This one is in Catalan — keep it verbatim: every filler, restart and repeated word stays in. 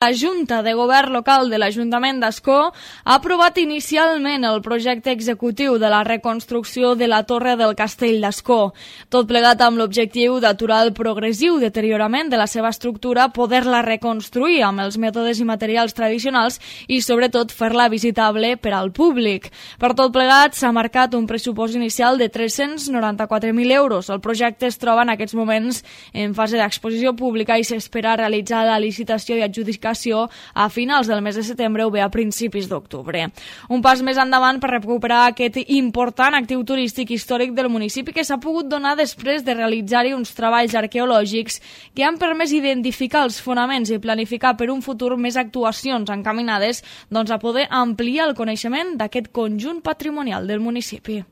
La Junta de Govern Local de l'Ajuntament d'Ascó ha aprovat inicialment el projecte executiu de la reconstrucció de la Torre del Castell d'Ascó, tot plegat amb l'objectiu d'aturar el progressiu deteriorament de la seva estructura, poder-la reconstruir amb els mètodes i materials tradicionals i, sobretot, fer-la visitable per al públic. Per tot plegat, s'ha marcat un pressupost inicial de tres-cents noranta-quatre mil euros. El projecte es troba en aquests moments en fase d'exposició pública i s'espera realitzar la licitació i adjudicació a finals del mes de setembre o bé a principis d'octubre. Un pas més endavant per recuperar aquest important actiu turístic històric del municipi que s'ha pogut donar després de realitzar-hi uns treballs arqueològics que han permès identificar els fonaments i planificar per un futur més actuacions encaminades doncs, a poder ampliar el coneixement d'aquest conjunt patrimonial del municipi.